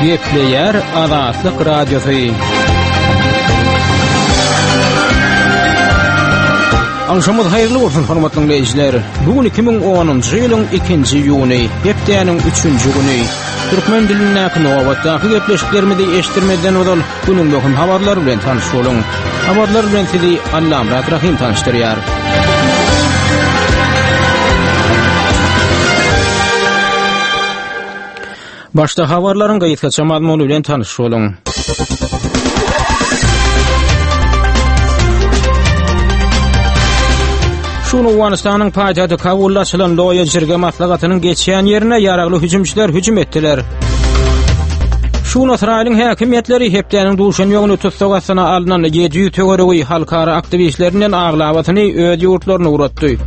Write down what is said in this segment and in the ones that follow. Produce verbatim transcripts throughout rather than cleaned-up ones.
Gepleýär Azatlyk Radiosy. Agşamyz haýyrly bolsun hormatly dinleýjiler. Bu gün iki müň onunjy ýylyň ikinji iýuny, hepdäniň üçünji güni. Türkmen dilindäki nobatdaky gepleşiklerimizi eşitdirmezden ozal günüň möhüm habarlary bilen tanyş boluň. Habarlar bilen sizi Allamyrat Rahym tanyşdyrýar. Başda habarlaryň gysgaça mazmuny bilen tanyş boluň. Şu gün Owganystanyň paýtagty Kabulda açylan Loýa Jirge maslahatynyň geçýän ýerine ýaragly hüjümçiler hüjüm etdiler. Şu gün Ysraýylyň häkimiýetleri hepdäniň duşenbe güni tussag astyna alnan ýedi ýüz töweregi halkara aktiwistlerinden aglabasyny öz ýurtlaryna ugratdy.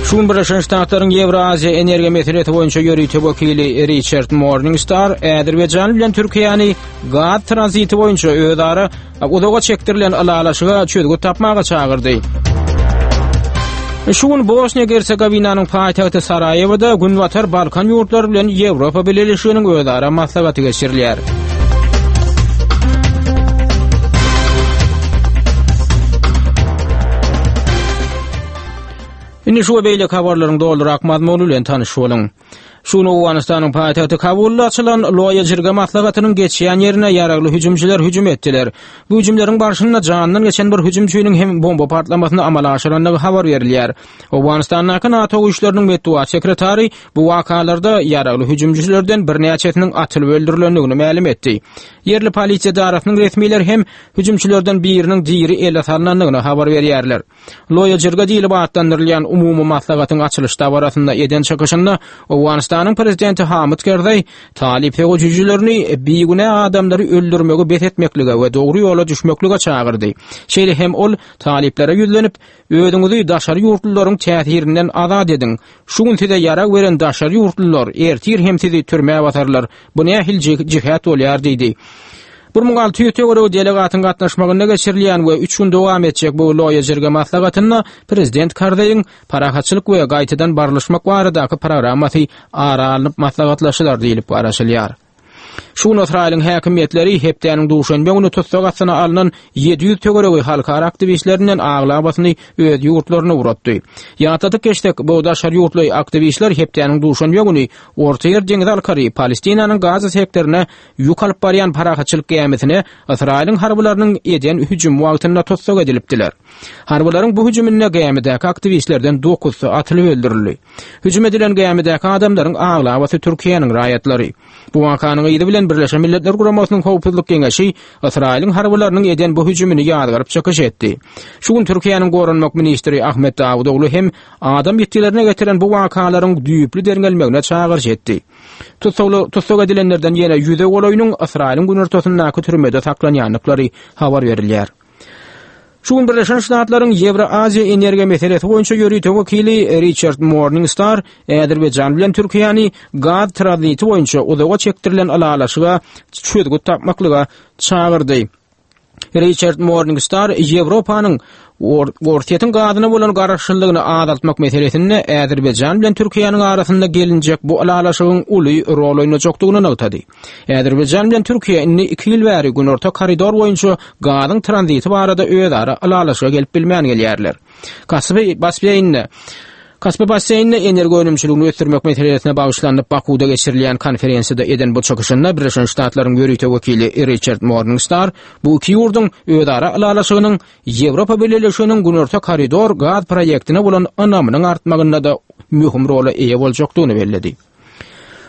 Şu gün Birleşen Ştatlaryň Ýewraziýa energiýa meselesi boýunça ýörite wekili Riçard Morningstar Azerbaýjan bilen Türkiýäni gaz tranziti boýunça özara uzaga çekdirilen ylalaşyga çözgüt tapmaga çagyrdy. Şu gün Bosniýa-Gersegowinanyň paýtagty Saraýewoda Günbatar Balkan ýurtlary bilen Ýewropa Bileleşiginiň özara maslahaty geçirilýär. Indi şu we beýleki habarlaryň dolurak mazmuny bilen tanyş boluň. Şu gün Owganystanyň paýtagty Kabulda açylan Loýa Jirga maslahatynyň geçýän ýerine ýaragly hüjümçiler hüjüm etdiler. Bu hüjümleriň barşynda janyndan geçen bir hüjümçiniň hem bomba partlamasyny amala aşyrandygy habar berilýär. Owganystandaky NATO güýçleriniň metbugat sekretary bu wakalarda ýaragly hüjümçilerden birnäçesiniň atylyp öldürilendigini mälim etdi. Ýerli polisiýa edarasynyň resmileri hem hüjümçilerden biriniň diri ele salnandygyny habar berýärler. Loýa Jirga diýlip atlandyrylýan umumy maslahatyň açylyş dabarasynda eden çykyşynda Owganystanyň prezidenti Hamid Kerzaý talyp söweşijilerini bigünä adamlary öldürmegi bes etmeklige we dogry ýola düşmeklige çagyrdy. Şeýle hem ol talyplara ýüzlenip, Özüňizi daşary ýurtlularyň täsirinden azat ediň. Şu gün size ýarag beren daşary ýurtlular ertir hem sizi türmä basarlar. Bu nähili jihat bolýar diýdi. Bir müň alty ýüz töweregi delegatyň gatnaşmagynda geçirilýän we üç gün dowam etjek bu Loýa Jirga maslahatynda Prezident Karzaýyň parahatçylyk we gaýtadan barlyşmak baradaky programmasy ara alnyp maslahatlaşylar diýlip garaşylýar. Şu gün Ysraýylyň häkimiýetleri hepdäniň duşenbe güni tussag astyna alnan ýedi ýüz töweregi halkara aktiwistlerinden aglabasyny öz ýurtlaryna ugratdy. Ýatladyp geçsek, bu daşary ýurtly aktiwistler hepdäniň duşenbe güni Ortaýer deňizi arkaly Palestinanyň Gaza sektorine ýük alyp barýan parahatçylyk gämisine Ysraýylyň harbylarynyň eden hüjümi wagtynda tussag edilipdiler. Harbylaryň bu hüjüminde gämidäki aktiwistlerden dokuzsy atylyp öldürildi. Hüjüm edilen gämidäki adamlaryň aglabasy Türkiýäniň raýatlary. Bu wakanyň yzy bilen Birleşen Milletler Guramasynyň Howpsuzlyk Geňeşi Ysraýylyň harbylarynyň eden bu hüjümini ýazgaryp çykyş etdi. Şu gün Türkiýäniň Goranmak ministri Ahmet Dawutoglu hem adam ýitgilerine getiren bu wakalaryň düýpli derňelmegine çagyryş etdi. Tussagly, tussag edilenlerden ýene ýüze golaýynyň Ysraýylyň günortasyndaky türmede saklanýandyklary habar berilýär. Şu gün Birleşen Ştatlaryň Ýewroaziýa energiýa meselesi boýunça ýörite wekili Riçard Morningstar Azerbaýjan bilen Türkiýäni gaz tranziti boýunça uzaga çekdirilen ylalaşyga çözgüt tapmaklyga çagyrdy. Riçard Morningstar Ýewropanyň Orsýetiň gazyna bolan garaşlylygyny azaltmak meselesinde Azerbaýjan bilen Türkiýäniň arasynda gelinjek bu ylalaşygyň uly rol oýnajakdygyny nygtady. Azerbaýjan bilen Türkiýe indi iki ýyl bäri Günorta koridor boýunça gazyň tranziti barada özara ylalaşyga gelip bilmän gelýärler. Kaspi basseýninde Kaspi basseýninde energiýa önümçiligini ösdürmek meselesine bagyşlanyp Bakuwda geçirilýän konferensiýada eden bu çykyşynda Birleşen Ştatlaryň ýörite wekili Riçard Morningstar bu iki ýurduň özara ylalaşygynyň Ýewropa Bileleşiginiň Günorta koridor gaz proýektine bolan ynamynyň artmagynda-da möhüm rola eýe boljakdygyny belledi.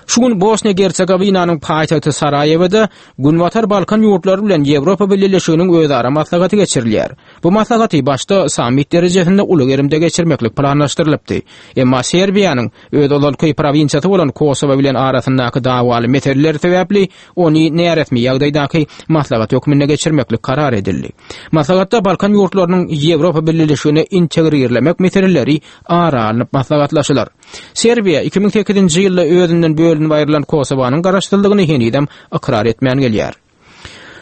Şu gün Bosniýa-Gersegowinanyň paýtagty Saraýewoda Günbatar Balkan ýurtlary bilen Ýewropa Bileleşiginiň özara maslahaty geçirilýär. Bu maslahaty başda sammit derejesinde uly gerimde geçirmeklik planlaşdyrylypdy. Emma Serbiýanyň öz ozalky prowinsiýasy bolan Kosowo bilen arasyndaky dawaly meseleler sebäpli ony näresmi ýagdaýdaky maslahat hökmünde geçirmeklik karar edildi. Maslahatda Balkan ýurtlarynyň Ýewropa Bileleşigine integrirlemek meseleleri ara alnyp maslahatlaşylar. Serbiýa iki müň sekizinji ýylda özünden bölünip aýrylan Kosowanyň garaşsyzlygyny henizem ykrar etmän gelýär.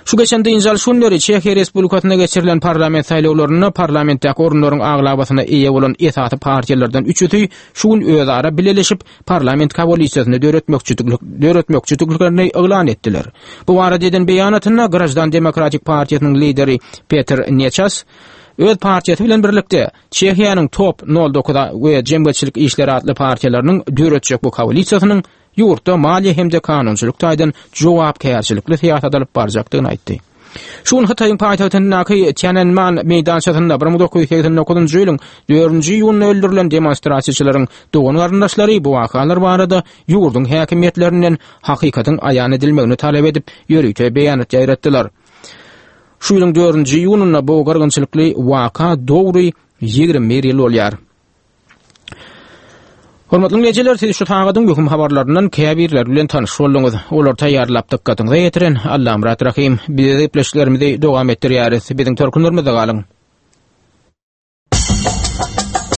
Şu geçen dynç alyş günleri Çehiýa Respublikasynda geçirilen parlament saýlawlarynda parlamentdäki orunlaryň aglabasyna eýe bolan esasy partiýalardan üçüsi şu gün özara bileleşip parlament koalisiýasyny döretmekçidiklerini yglan etdiler. Bu barada eden beýanatynda Grajdan Demokratik partiýasynyň lideri Peter Neças öz partiýasy bilen birlikde Çehiýanyň Top nol dokuz we Jemgyýetçilik işleri atly partiýalarynyň döretjek bu koalisiýasynyň ýurtda maliýe hem-de kanunçylyk taýdan jogapkärçilikli syýasat alyp barjakdygyny aýtdy. Şu gün Hytaýyň paýtagtyndaky Tiananmen meýdançasynda bir müň dokuz ýüz segsen dokuzynjy ýylyň dördünji iýunynda öldürilen demonstrasiýaçylaryň dogan garyndaşlary bu wakalar barada ýurduň häkimiýetlerinden hakykatyň aýan edilmegini talap edip, ýörite beýanat ýaýratdylar. Şu ýylyň dördünji iýunynda bu gyrgynçylykly waka dogry ýigrimi bir ýyl bolýar. Hormatly dinleýjiler, siz şu sagadyň möhüm habarlaryndan käbirleri bilen tanyş bolduňyz. Olary taýýarlap dykgatyňyza ýetiren Allamyrat Rahym. Biz gepleşiklerimizi dowam etdirýäris. Biziň tolkunlarymyzda galyň.